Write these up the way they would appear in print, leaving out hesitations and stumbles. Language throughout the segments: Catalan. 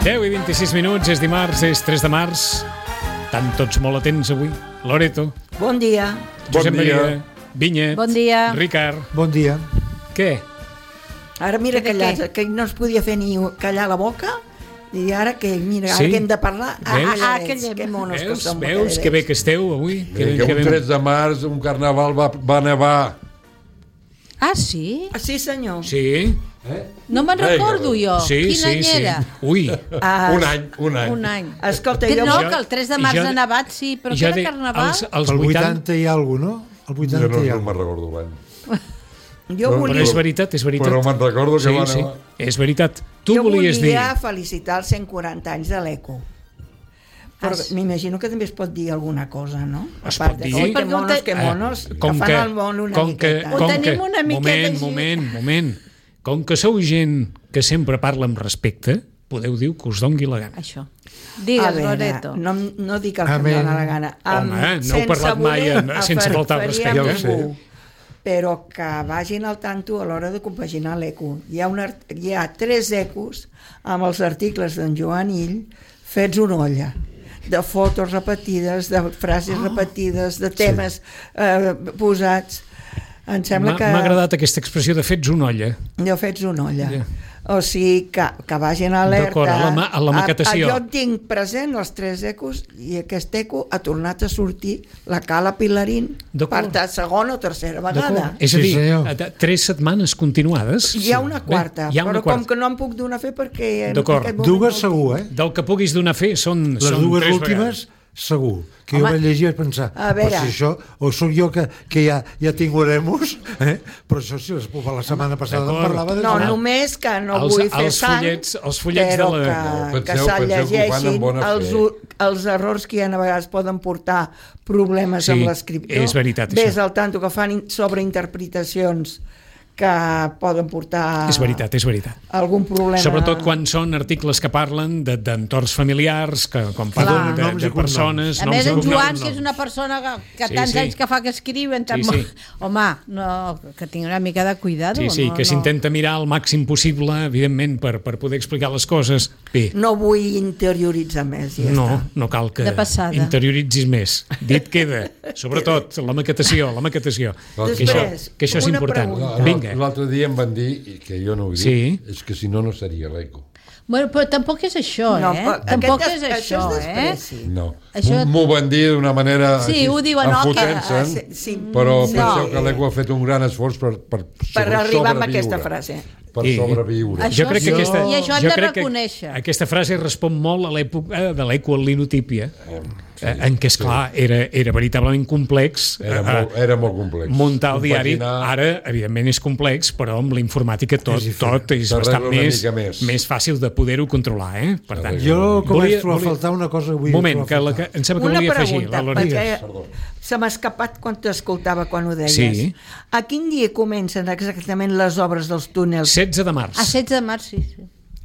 10:26, és dimarts, és 3 de març. Estan tots molt atents avui. Loreto. Bon dia. Josep Bon dia. Maria. Vinyet. Bon dia. Ricard. Bon dia. Què? Ara mira Que de callats, què? que no es podia fer ni callar la boca, i ara que, mira, ara Sí? que hem de parlar, Veus? calladets, que monos que som. Veus que bé que esteu avui? Que un 3 de març, un carnaval va nevar. Ah, sí? Sí, senyor. Sí? No me'n recordo jo. Sí, Quin any era? Ui. Ah, Un any. Un any. Escolta, Que jo... no, Jo- que el 3 de març jo- ha nevat, sí, però que jo era dic, carnaval. Els El 80... 80 hi ha alguna cosa, no? El 80 Jo no hi ha me'n alguna recordo l'any. Jo Però volia, és veritat, és veritat. Però me'n recordo que va Sí, nevar. és veritat. Tu jo volies dir... volia felicitar els 140 anys de l'ECO. Però m'imagino que també es pot dir alguna cosa, no? Es A part pot de, dir. oi, que Perquè ho monos, te- que monos, com que que, fan el món una com que, miqueta. Ho com tenim que, una miqueta així. moment. Com que sou gent que sempre parla amb respecte, podeu dir que us dongui la gana. Això. A Digues, veure, Loreto. no dic el que em Amén. dóna la gana. Home, no heu parlat mai sense faltar al respecte. Ja ho sé. Però que vagin al tanto a l'hora de compaginar l'eco. Hi ha 3 ecos amb els articles d'en Joan Ill fets una olla, de fotos repetides, de frases repetides, de temes posats. Em sembla que... M'ha agradat aquesta expressió de fets una olla. Jo fets una olla. Ja. O sigui, que vagin alerta. D'acord, a la maquetació. Jo tinc present els 3 ecos i aquest eco ha tornat a sortir la Cala Pilarín D'acord. per segona o tercera vegada. D'acord. És a Sí, dir, senyor. 3 setmanes continuades. Hi ha una quarta, Bé, hi ha una però com quarta. que no em puc donar fe perquè... en D'acord. aquest moment Dues no segur, Del que puguis donar fe són Les dues 3 últimes, vegades. segur. Que Home. jo vaig llegir i vaig pensar, A veure. però si això, o sóc jo que ja tinc oremus, però això sí, la setmana passada en D'acord. parlava de... No, Ah. només que no Els- vull fer els sang, fullets però de la- que Penseu- se'l penseu que ho fan amb llegeixin bona fe. els errors que hi ha a vegades poden portar problemes Sí, amb l'escriptor. és veritat, Ves això. al tanto que fan sobreinterpretacions que poden portar És veritat. algun problema. Sobretot quan són articles que parlen d'entorns familiars, que quan parlen Clar. Noms de i cognoms. persones... A noms més, i en cognoms. Joan, que és una persona que Sí, tants sí. anys que fa que escriuen, tan Sí, sí. home, no, que tingui una mica de cuidado. Sí, no, que s'intenta mirar el màxim possible, evidentment, per poder explicar les coses. Bé, No vull interioritzar més, ja està. no cal que De passada. interioritzis més. Dit queda, sobretot, la maquetació. Després, que això és una important. pregunta. Vinga. L'altre dia em van dir, i que jo no ho he dit, Sí. és que si no, no seria l'eco. Bueno, però tampoc és això, No, eh? però Tampoc aquest és això, és despreci. No. Això- M'ho van dir d'una manera Sí, així, ho diuen, no, que- enfotent-se'n, sí, però no. penseu que l'eco ha fet un gran esforç per arribar a sobreviure. aquesta frase. Per I- sobreviure. Això Jo crec que sí, aquesta, i això hem jo de crec que reconèixer. aquesta frase respon molt a l'època de l'ecolinotipia, en què, esclar, era veritablement complex Era molt complex. muntar el diari. Compaginar- Ara, evidentment, és complex, però amb la informàtica tot és S'arregla bastant una més mica més. fàcil de poder-ho controlar. Per tant, Jo començo volia- a faltar una cosa que vull moment, trobar a que faltar. em sembla que Una volia afegir pregunta, la Loreto. perquè se m'ha escapat quan t'escoltava quan ho deies. Sí. A quin dia comencen exactament les obres dels túnels? 16 de març. A 16 de març, sí.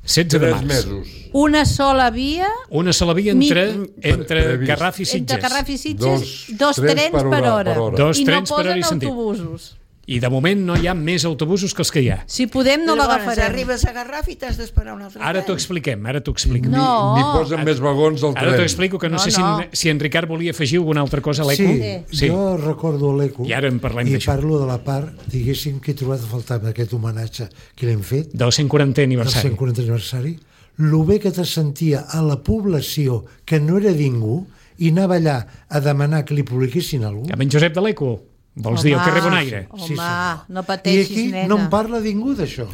16 de 3 març. mesos. Una sola via Una sola via entre Previst. Garraf i entre Sitges. Garraf i Sitges, Dos dos trens trens per per hora, hora. per hora. Dos I no trens per hora posen i sentit. autobusos. I de moment no hi ha més autobusos que els que hi ha. Si podem, no Llavors, l'agafarem. arribes a Garraf i t'has d'esperar un altre Ara t'ho tren. expliquem. No. Ni posen més vagons al Ara t'ho tren. explico, que no, No, sé no. si en Ricard volia afegir alguna altra cosa a l'eco. Sí, jo recordo l'eco I ara en parlem i d'això. parlo de la part, diguéssim, que he trobat a faltar amb aquest homenatge que l'hem fet, Del 140è del aniversari. 140 aniversari, lo bé que te sentia a la població que no era ningú i anava allà a demanar que li publiquessin alguna cosa. Amb en Josep de l'Eco. Vols dir el carrer Bonaire? Home, Sí, senyor. no I pateixis, aquí nena. no en parla ningú d'això.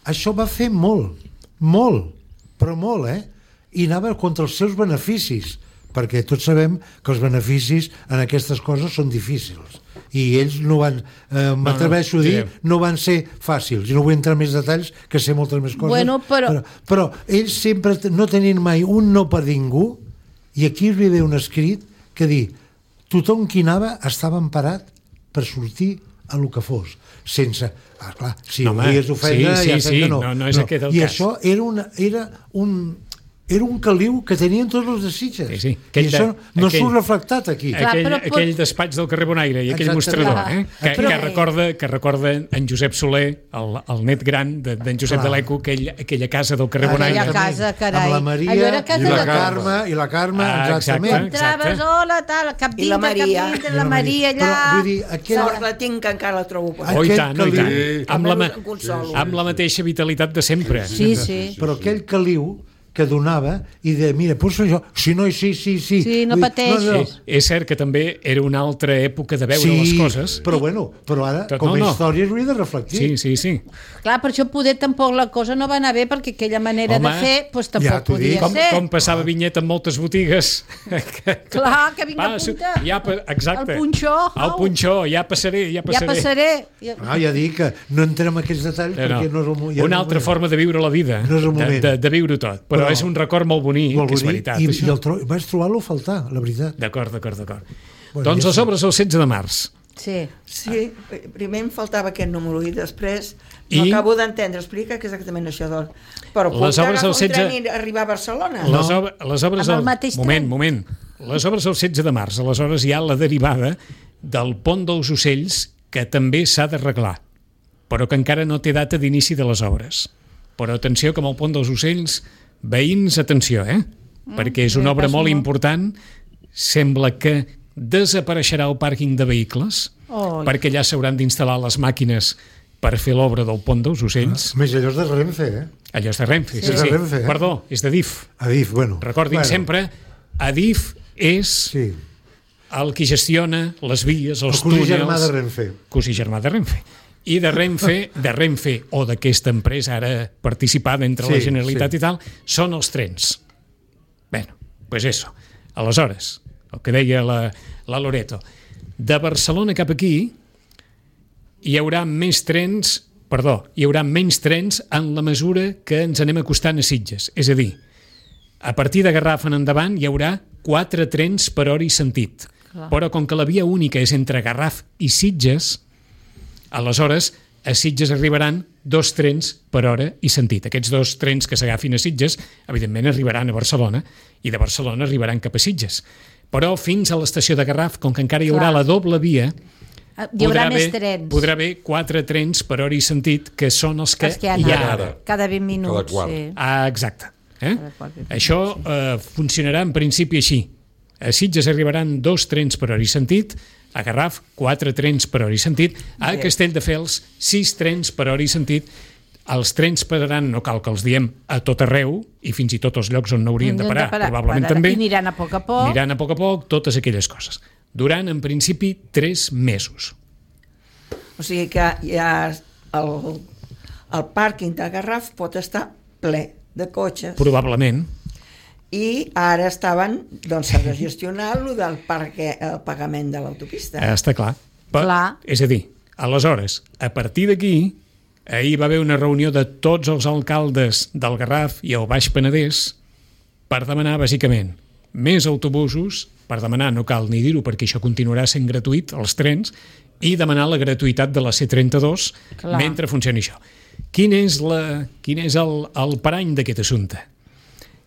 Això va fer molt, però molt, I anava contra els seus beneficis, perquè tots sabem que els beneficis en aquestes coses són difícils. I ells no van, m'atreveixo a dir, no van ser fàcils. I no vull entrar en més detalls, que sé moltes més coses. Bueno, però ells sempre no tenien mai un no per ningú, i aquí hi ve un escrit que diu tothom qui anava estava emparat per sortir a lo que fos, sense... clar, si No, ho home, volies ofendre, sí, ja sí, sé que no. no és aquest el I cas. això era un era un caliu que tenien tots els de Sitges. Sí. I això no surt reflectat aquí. Clar, Aquell despatx del carrer Bonaire i aquell Exactament. mostrador, que recorda en Josep Soler, el net gran d'en Josep de l'Eco, aquella casa del carrer Bonaire. Aquella casa, carai. Amb la Maria Allò era casa i la Carme, exactament. Entraves, hola, tal, cap I la Maria. la Maria allà... Però, vull dir, Sort la tinc, que encara la trobo. Oh, i tant, oh, i tant. Sí. Amb la mateixa vitalitat de sempre. Sí. Però aquell caliu que donava i de, mira, poso això, si no, sí. Sí, no pateixis. És cert que també era una altra època de veure les coses. Però ara, com a història, es hauria de reflectir. Sí. Clar, per això poder tampoc la cosa no va anar bé, perquè aquella manera de fer pues, tampoc podia ser. Com passava Vinyet en moltes botigues. Clar, que vinga a punta. Exacte. El punxó. Ja passaré. Ja dic que no entrem en aquests detalls perquè no és el moment. Una altra forma de viure la vida. No és el moment. De viure tot. Però és un record molt bonic, que és veritat. I vaig trobar-lo a faltar, la veritat. D'acord. Doncs les obres el 16 de març. Sí, primer em faltava aquest número i després no acabo d'entendre. Explica que exactament això. Però les obres el 16... tren i arribar a Barcelona? Les obres amb el mateix tren. Moment. Les obres el 16 de març. Aleshores hi ha la derivada del pont dels Ocells, que també s'ha d'arreglar, però que encara no té data d'inici de les obres. Però atenció, que amb el pont dels Ocells, veïns, atenció, perquè és una obra molt important. Sembla que desapareixerà el pàrquing de vehicles, perquè allà s'hauran d'instal·lar les màquines per fer l'obra del pont dels Ocells. Més allò és de Renfe, Allò és de Renfe, sí. Renfe, Perdó, és d'Adif. Adif, bueno. Recordin sempre, Adif és el que gestiona les vies, els túnels... Cosí germà de Renfe. Cosí germà de Renfe. I de Renfe o d'aquesta empresa ara participada entre la Generalitat i tal, són els trens. Bé, pues eso. Aleshores, el que deia la Loreto, de Barcelona cap aquí hi haurà menys trens en la mesura que ens anem acostant a Sitges. És a dir, a partir de Garraf en endavant hi haurà 4 trens per hora i sentit. Però com que la via única és entre Garraf i Sitges, aleshores a Sitges arribaran 2 trens per hora i sentit. Aquests 2 trens que s'agafin a Sitges, evidentment arribaran a Barcelona, i de Barcelona arribaran cap a Sitges. Però fins a l'estació de Garraf, com que encara hi haurà la doble via, hi haurà més trens. Podrà haver 4 trens per hora i sentit, que són els que hi ha ara. Cada 20 minuts. Exacte. Això funcionarà en principi així. A Sitges arribaran 2 trens per hora i sentit, a Garraf 4 trens per hora i sentit, a Castelldefels 6 trens per hora i sentit. Els trens pararan, no cal que els diem, a tot arreu, i fins i tot els llocs on no haurien de parar, probablement també. I aniran a poc a poc. Totes aquelles coses. Durant, en principi, 3 mesos. O sigui que ja el pàrquing de Garraf pot estar ple de cotxes. Probablement. I ara estaven, doncs s'ha de gestionar el del pagament de l'autopista. Està clar. És a dir, aleshores, a partir d'aquí, ahir va haver una reunió de tots els alcaldes del Garraf i el Baix Penedès per demanar, bàsicament, més autobusos, per demanar, no cal ni dir-ho perquè això continuarà sent gratuït, els trens, i demanar la gratuïtat de la C32 mentre funcioni això. Quin és el parany d'aquest assumpte?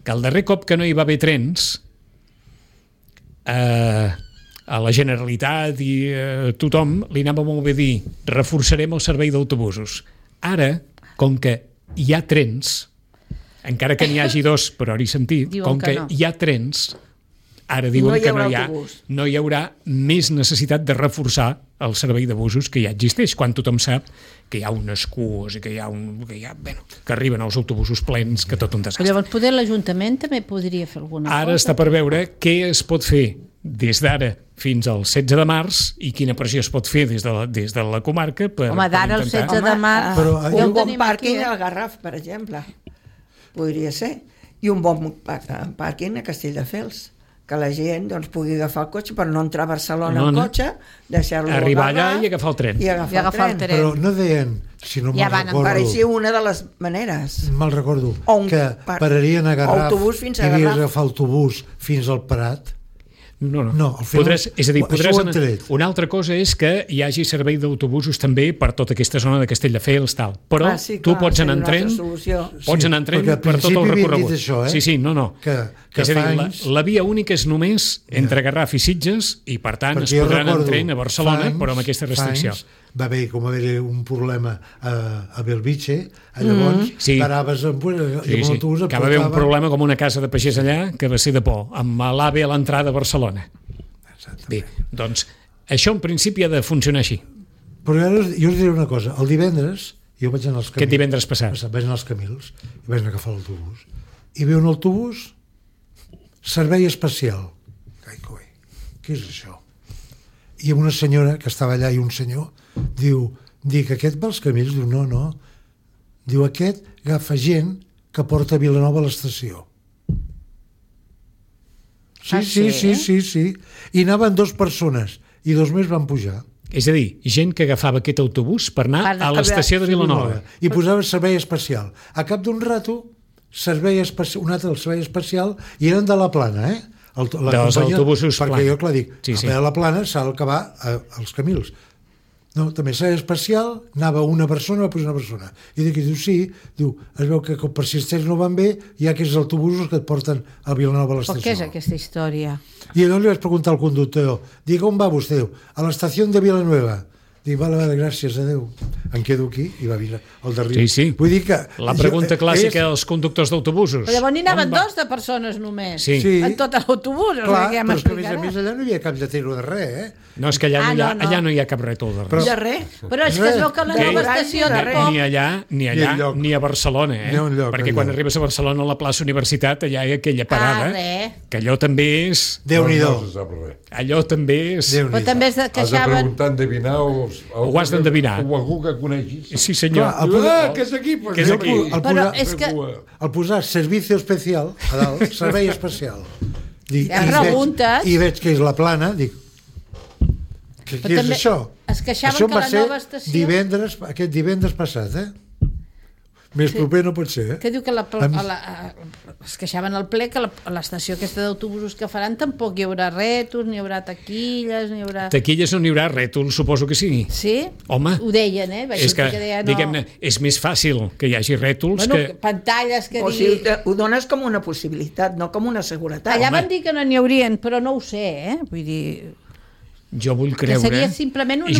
Que el darrer cop que no hi va haver trens, a la Generalitat i a tothom li anava molt bé dir reforçarem el servei d'autobusos. Ara, com que hi ha trens, encara que n'hi hagi 2 per hora i sentit, com que hi ha trens, ara diuen que no hi haurà més necessitat de reforçar el servei de busos que ja existeix, quan tothom sap que hi ha unes cues i que que arriben els autobusos plens, que tot un desastre. Llavors, poder l'Ajuntament també podria fer alguna cosa. Ara està per veure què es pot fer des d'ara fins al 16 de març i quina pressió es pot fer des de la comarca per d'ara al 16 de març... Un bon pàrquing al Garraf, per exemple, podria ser. I un bon pàrquing a Castelldefels, que la gent pugui agafar el cotxe per no entrar a Barcelona en cotxe, deixar-lo arribar allà i agafar el tren. Però no deien, si no me'n recordo... Pareixia una de les maneres. Me'l recordo, que pararien a Garraf i havies d'agafar autobús fins al Prat. No, al final, és a dir, això ho hem tret. Una altra cosa és que hi hagi servei d'autobusos també per tota aquesta zona de Castelldefels, tal. Però tu pots anar en tren, per tot el recorregut. Això, Sí, no. Que és a dir, la via única és només entre Garraf i Sitges i, per tant, es podran anar en tren a Barcelona, però amb aquesta restricció. Va haver un problema a Belvitge, llavors paraves amb l'autobús. Que va haver un problema com una casa de pagès allà que va ser de por, amb l'AVE a l'entrada a Barcelona. Bé, doncs això en principi ha de funcionar així. Però ara jo us diré una cosa, el divendres jo vaig anar als Camils. Aquest divendres passat? Vaig anar als Camils i vaig anar a agafar l'autobús i veu un autobús servei especial. Què és això? I una senyora que estava allà i un senyor dic, aquest va als Camils? Diu, no. Diu, aquest agafa gent que porta a Vilanova a l'estació. Sí. I anaven 2 persones i 2 més van pujar. És a dir, gent que agafava aquest autobús per anar a l'estació de Vilanova. I posava servei especial. A cap d'un rato, un altre servei especial, i eren de la Plana, dels autobusos Plana. Perquè jo, clar, dic, a la Plana s'ha d'acabar als Camils. No, també servei especial, anava una persona, va posar una persona. I diu, sí, es veu que per si els trens no van bé, hi ha aquests autobusos que et porten a Vilanova a l'estació. Però què és aquesta història? I llavors li vaig preguntar al conductor, dic, on va vostè? A l'estació de Vilanueva. Dic, vale, gràcies, adeu. Em quedo aquí i va vindre el darrere. Sí. Vull dir que... La pregunta clàssica dels conductors d'autobusos. Però llavors n'hi anaven 2 de persones només. Sí. En tot l'autobús. Clar, però és que a més allà no hi havia cap lletero de res, No, és que allà no hi ha cap rètol de res. De res? Però és que es veu que la nova estació tampoc... Ni allà, ni a Barcelona, perquè quan arribes a Barcelona a la plaça Universitat, allà hi ha aquella parada, que allò també és... Déu-n'hi-do. Allò també és... Però també es queixaven... Has de preguntar endevinar ho has d'endevinar. O algú que coneixis. Sí, senyor. Que és aquí. Però és que... Al posar servicio especial, a dalt, servei especial. I veig que és la Plana, dic, què és això? Es queixaven que la nova estació... Aquest divendres passat, Més proper no pot ser, Que diu que es queixaven al ple que a l'estació aquesta d'autobusos que faran tampoc hi haurà rètols, ni hi haurà taquilles, ni hi haurà... Taquilles no n'hi haurà, rètols suposo que sí. Sí? Home. Ho deien, És que, diguem-ne, és més fàcil que hi hagi rètols que... Pantalles que o sigui, ho dones com una possibilitat, no com una seguretat. Allà van dir que no n'hi haurien, però no ho sé, Vull dir... Jo vull creure, que seria simplement una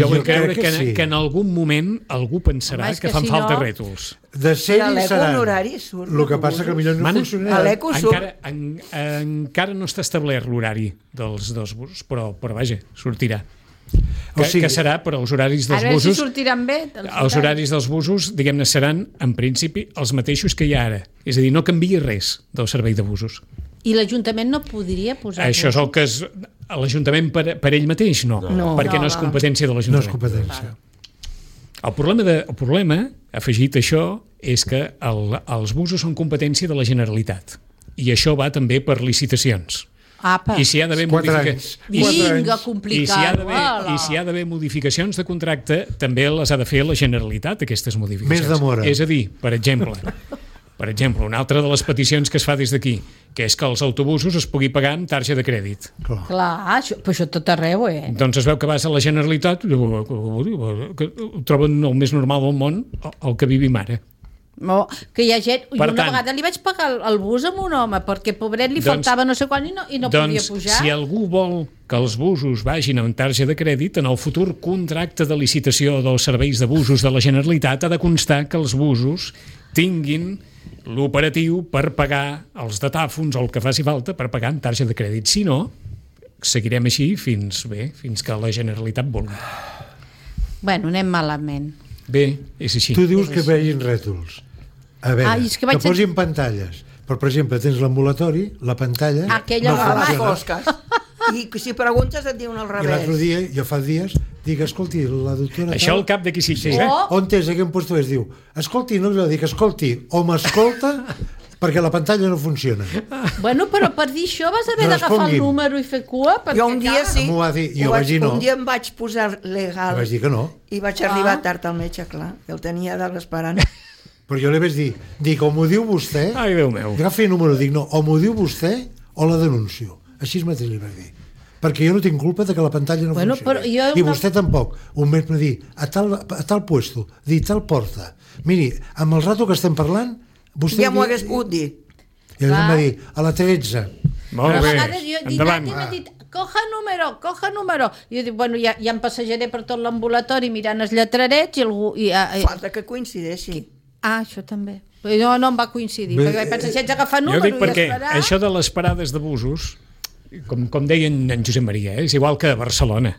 que en algun moment algú pensarà que fan falta rètols. De ser hi seran. El que passa que potser no funcionarà. A l'Eco surt. Encara no està establert l'horari dels busos, però vaja, sortirà. Que serà, però els horaris dels busos... A veure si sortiran bé. Els horaris dels busos, diguem-ne, seran, en principi, els mateixos que hi ha ara. És a dir, no canvia res del servei de busos. I l'Ajuntament no podria posar... Això és el que l'Ajuntament per ell mateix, no. Perquè no és competència de l'Ajuntament. No és competència. El problema, afegit a això, és que els busos són competència de la Generalitat. I això va també per licitacions. Apa. I si hi ha d'haver si hi ha d'haver modificacions de contracte, també les ha de fer la Generalitat, aquestes modificacions. Més demora. És a dir, per exemple, una altra de les peticions que es fa des d'aquí, que és que els autobusos es pugui pagar amb targeta de crèdit. Clar, però això tot arreu, Doncs es veu que vas a la Generalitat, que ho troben el més normal del món, el que vivim ara. No, que hi ha gent... Una vegada li vaig pagar el bus amb un home perquè pobret li faltava no sé quan i no podia pujar. Si algú vol que els busos vagin amb targeta de crèdit, en el futur contracte de licitació dels serveis de busos de la Generalitat ha de constar que els busos tinguin l'operatiu per pagar els datàfons o el que faci falta per pagar amb targeta de crèdit. Si no, seguirem així fins que la Generalitat vulgui. Bueno, anem malament. Bé, és així. Tu dius que vegin rètols. A veure, que posin pantalles. Però, per exemple, tens l'ambulatori, la pantalla... Aquella no funciona. I si preguntes et diuen al revés. I l'altre dia, jo fa dies, dic, escolti, la doctora... Això al cap d'aquí 6 mesos, On és aquell puesto es diu, escolti, no jo dic, escolti, o m'escolta perquè la pantalla no funciona. Bueno, però per dir això vas haver d'agafar el número i fer cua? Jo un dia sí. M'ho va dir, jo vaig dir no. Un dia em vaig posar legal. Vaig dir que no. I vaig arribar tard al metge, clar. El tenia dalt esperant. Però jo li vaig dir, o m'ho diu vostè... Ai, Déu meu. Agafi el número, dic, no, o m'ho diu vostè o la denuncio. Així mateix li vaig dir. perquè jo no tinc culpa de que la pantalla no funcioni. I vostè tampoc. Un mes me dir, a tal puesto, dir tal porta. Miri, amb el rato que estem parlant, vostè... Ja m'ho hagués pogut dir. I ell em va dir, a la 13. Molt bé, endavant. Coja número. I jo dic, bueno, ja em passejaré per tot l'ambulatori mirant els lletrerets i algú... Falta que coincideixi. Això també. No em va coincidir, perquè vaig pensar, si haig d'agafar número i esperar... Jo dic perquè això de les parades de busos, com deia en Josep Maria, és igual que a Barcelona.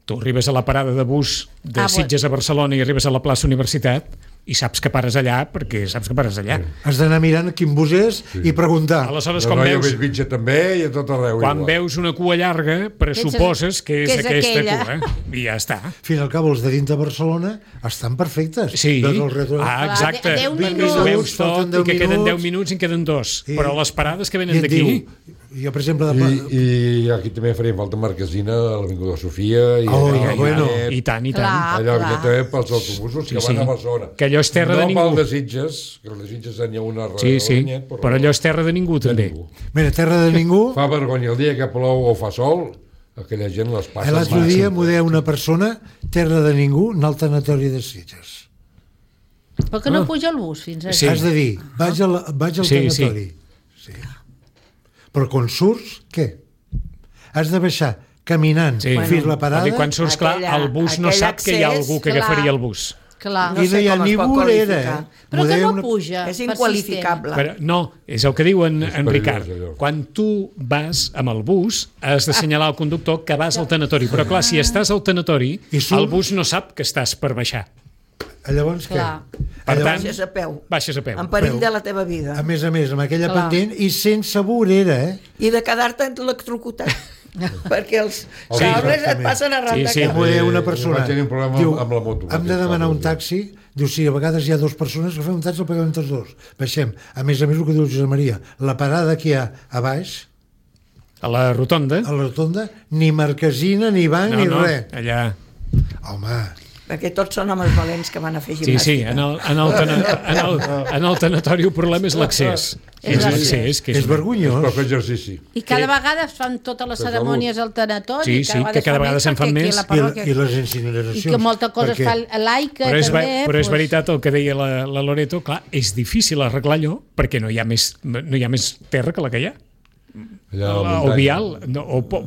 Tu arribes a la parada de bus de Sitges a Barcelona i arribes a la plaça Universitat i saps que pares allà perquè saps que pares allà. Has d'anar mirant quin bus és i preguntar. Aleshores, quan veus... Bellvitge també i a tot arreu. Quan veus una cua llarga, pressuposes que és aquesta cua. I ja està. Fin al cap, els de dins de Barcelona estan perfectes. Sí. Exacte. 10 minuts. Veus tot i que queden 10 minuts i en queden 2. Però les parades que venen d'aquí... Jo, per exemple... I aquí també faria falta Marquesina, a l'Avinguda Sofia... I tant. Allò també pels autobusos que van a Barcelona. Que allò és terra de ningú. No pel de Sitges, que el de Sitges n'hi ha una... Sí, però allò és terra de ningú, també. Mira, terra de ningú... Fa vergonya el dia que plou o fa sol, aquella gent les passa... L'altre dia m'ho deia una persona, terra de ningú, anar al tanatori de Sitges. Però que no puja el bus fins aquí. Has de dir, vaig al tanatori. Sí. Però quan surts, què? Has de baixar caminant fins la parada... Quan surts, clar, el bus no sap que hi ha algú que agafaria el bus. Clar. I no hi ha ni vorera. Però que no puja. És inqualificable. Però no, és el que diu en Ricard. Quan tu vas amb el bus, has d'assenyalar al conductor que vas al tanatori. Però clar, si estàs al tanatori, el bus no sap que estàs per baixar. Llavors què? Per tant, baixes a peu. En perill de la teva vida. A més, amb aquella pendent i sense vorera, I de quedar-te electrocutat. Perquè els cables et passen arran de cap. M'ho deia una persona. Vaig tenir un problema amb la moto. Hem de demanar un taxi. Diu, sí, a vegades hi ha dues persones que fem un taxi, el paguem entre els dos. Baixem. A més, el que diu Josep Maria, la parada que hi ha a baix... A la rotonda? A la rotonda, ni marquesina, ni banc, ni res. Allà... Home... Perquè tots són homes valents que van a fer gimnàstica. Sí, en el tanatori el problema és l'accés. És l'accés, que és vergonyós. Per fer exercici. I cada vegada es fan totes les cerimònies al tanatori. Sí, que cada vegada se'n fan més. I les incineracions. I que molta cosa es fa laica, també. Però és veritat el que deia la Loreto, clar, és difícil arreglar allò perquè no hi ha més terra que la que hi ha. O vial,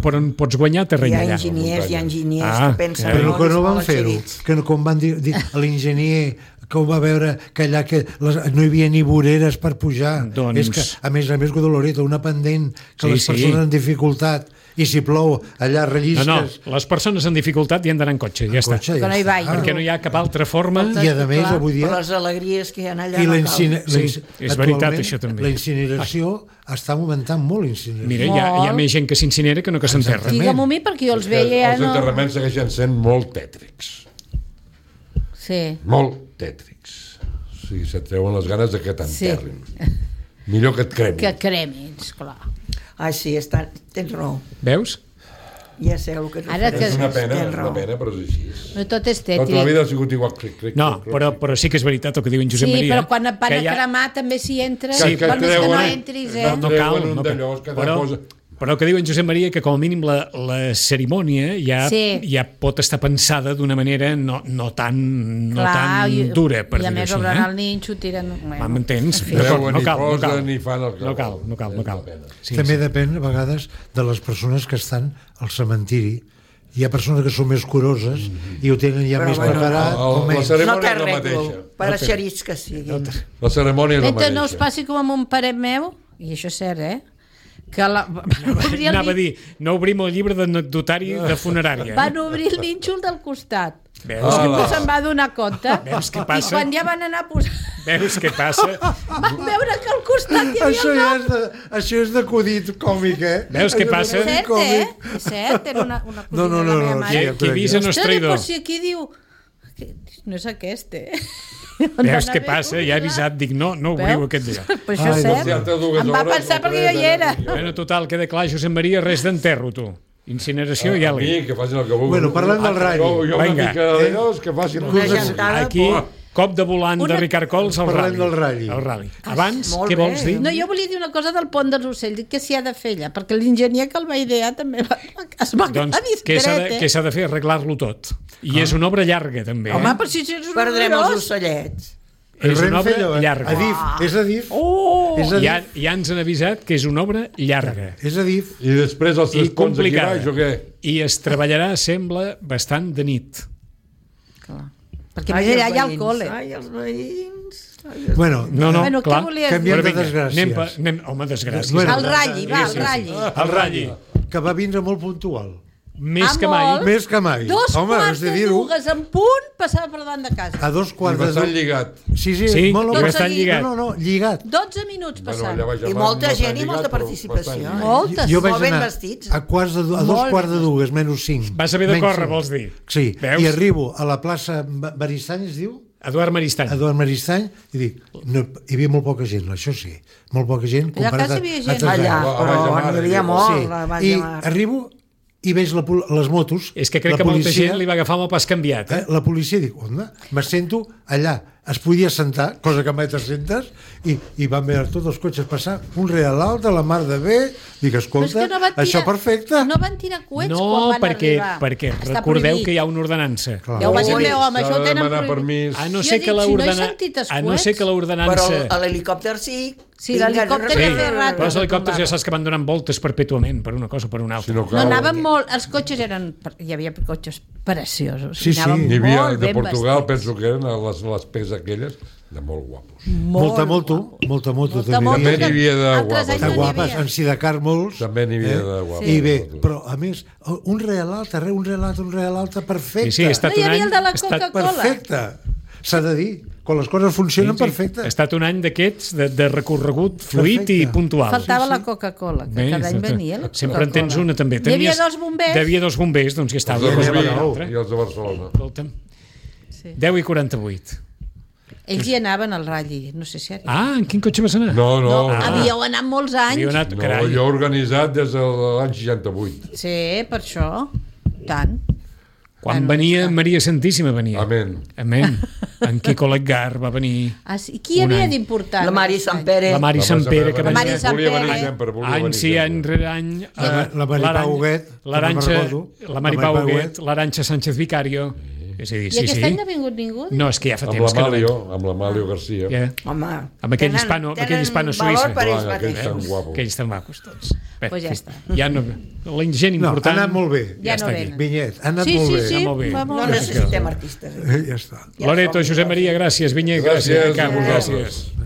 per on pots guanyar terreny allà. Hi ha enginyers que pensen... Però que no van fer-ho, que com van dir l'enginyer que ho va veure que allà no hi havia ni voreres per pujar. És que, a més, Loreto, una pendent que les persones en dificultat, i si plou allà rellisques... No, les persones en dificultat hi han d'anar en cotxe, ja està. Perquè no hi ha cap altra forma... I a més, avui dia... Per les alegries que hi ha allà... És veritat, això també. La incineració està augmentant molt, l'incineració. Mira, hi ha més gent que s'incinera que no que s'enterra. Digue-m'ho a mi, perquè jo els veia... Els enterraments segueixen sent molt tètrics. Sí. Molt tètrics. O sigui, se't treuen les ganes de que t'enterrin. Millor que et cremin. Que cremin, esclar. Sí, tens raó. Veus? Ja sé el que tu faràs. És una pena, però és així. No tot és tètric. Tota la vida ha sigut igual. No, però sí que és veritat el que diu en Josep Maria. Sí, però quan et van a cremar també s'hi entra. Sí, que no entris, No cal. Però el que diu en Josep Maria que com a mínim la cerimònia ja pot estar pensada d'una manera no tan dura, per dir-ho així. I a més obren el ninxo, tiren... M'entens? No cal. També depèn a vegades de les persones que estan al cementiri. Hi ha persones que són més curoses i ho tenen ja més preparat. La cerimònia és la mateixa. Per eixerits que siguin. La cerimònia és la mateixa. No us passi com amb un pare meu, i això és cert, Anava a dir, no obrim el llibre d'anecdotari de funerària. Van obrir el nínxol del costat. Veus? Se'n va donar compte. Veus què passa? I quan ja van anar a posar... Veus què passa? Van veure que al costat hi havia el nom. Això és d'acudit còmic, Veus què passa? És cert, És cert, era una acudit de la meva mare. Qui avisa no és traïdor. Però si aquí diu... No és aquest, Veus què passa? Ja he avisat, dic, no obriu aquest dia. Però això és cert. Em va pensar perquè jo hi era. Bueno, total, queda clar, Josep Maria, res d'enterro, tu. Incineració i alguna cosa. Que facin el que vulguin. Bueno, parlant del ratll. Jo una mica d'allòs que facin el que vulguin. Aquí, cop de volant de Ricard Cols al Parlem del rally. rally. El rally. Abans, molt què bé. vols dir? No, jo volia dir una cosa del pont dels ocells, dic que s'hi ha de fer allà, perquè l'enginyer que el va idear també es va Doncs quedar què discret, s'ha de fer? Arreglar-lo tot. I és una obra llarga, també. Home, però si ets un Perdrem els horrorós. ocellets. És una Renfe, obra allò, llarga. Adif, és Adif. Oh! És Ja, Adif. ja ens han avisat que és una obra llarga És Adif. I després els i tres ponts aquí complicada. baix, o què? I es treballarà, sembla, bastant de nit. Clar. Perquè més allà hi ha el col·le. Ai, els veïns. Bueno, No, Bueno, clar. què volies canviem dir? de desgràcies. Home, desgràcies. Bueno, El ratlli, va, el Sí. ratlli. El ratlli. que va vindre molt puntual. Més que molt. mai. Més que mai. Dos Home, quarts has de de dir-ho. dues en punt passava per davant de casa. A 2 I quarts de bastant dues. lligat. Sí, sí, Sí, molt i bé. bastant lligat. No, lligat. 12 minuts Bueno, passant. allà baix I va molta bastant gent i molta lligat, però participació. bastant lligat. Moltes. Jo vaig Molt ben anar vestits. a dos quarts de dues, menys 5. Vas haver de córrer, vols dir? Sí, Veus? i arribo a la plaça Maristany, es diu? Eduard Maristany. Eduard Maristany, i dic, no, hi havia molt poca gent, això sí, molt poca gent. Allà comparat quasi hi havia a gent. altres Allà, anys. A baix de però mar, n'hi havia diu. molt. Sí, a baix i de mar. arribo i veig les motos. És que crec la que molta policia, gent li va agafar amb el pas canviat. La policia, dic, onda? Me sento allà, es podia sentar, cosa que mai te sentes, i van veure tots els cotxes passar, un rere l'altre, la mar de bé, dic, Però és escolta, que no van això perfecte. No van tirar coets No, quan van arribar. perquè Està recordeu prohibit. que hi ha una ordenança. Clar. Ja ho vaig dir, Ui, home, això S'ha ho de tenen demanar prohibit. permís. A no Jo ser he que dit, si no he l'ordenança... sentit els A no ser que Però l'ordenança... l'helicòpter sí. Sí, l'helicòpter Sí, ja feia rato. però els que helicòpters tombava. ja saps que van donant voltes perpètuament per una cosa o per una altra. Si no No, cal, anaven molt... Els cotxes eren... Hi havia cotxes preciosos. Sí, sí. Anaven N'hi havia molt de ben Portugal, vestits. penso que eren les pes aquelles, de molt guapos. Molta moto, Molta també moto, hi havia. També n'hi havia de altres guapes. anys De no n'hi guapes, havia. en Sidecar molts. També n'hi havia de guapos. I bé, però a més, un rere l'altre, un rere l'altre, perfecte. Sí, sí, ha estat No hi un havia any... el de la ha estat- Coca-Cola. Perfecte. S'ha de dir, quan les coses funcionen, perfecte. Ha estat un any d'aquests de recorregut fluid Perfecte. i puntual. Faltava la Coca-Cola, que Bé, cada any venia la sempre en tens Coca-Cola. una, també. Hi havia dos bombers. Hi havia dos bombers, doncs que estaven. Els de Hi havia Rubí una i els de Barcelona. Escolta'm, Sí. 10 i 48. Ells hi anaven al ratlli, no sé si ara. Ah, en quin cotxe vas anar? No. Havíeu anat molts anys. Havíeu anat, No, carai. jo he organitzat des de l'any 68. Sí, per això. Tant. Quan Bueno, venia està. Maria Santíssima venia. Amén. Amén. En Quico Leggar va venir. Ah, sí. Qui hi Un havia any. d'important? La Mari aquest any? Sant Pere. La Mari Sant Pere, que La Mari venia Sant Volia venir Pere. sempre, volia any venir sí, any sempre. rere any. La Mari Pau Huguet, l'Aranxa, que no me'n recordo. la Mari La Pau Mari Pau Huguet, l'Aranxa Sánchez Vicario. És a dir, I sí, aquest sí. any no ha vingut ningú? No, és que ja fa Amb temps que no... l'Amalio Garcia. Ja. Home, Amb aquell hispano suïssa. valor per ells Clar, aquells mateixos. tan guapos. Aquells tan macos tots. Bé, Pues ja està. Ja no, la gent No, ha important... anat molt bé. Ja està no aquí. venen. Vinyet, ha anat Sí, molt sí, bé. sí. molt bé. Va No molt bé. necessitem artistes. Ja està. Loreto, Josep Maria, gràcies. Vinyet, gràcies. Gràcies a Camp, vosaltres. gràcies.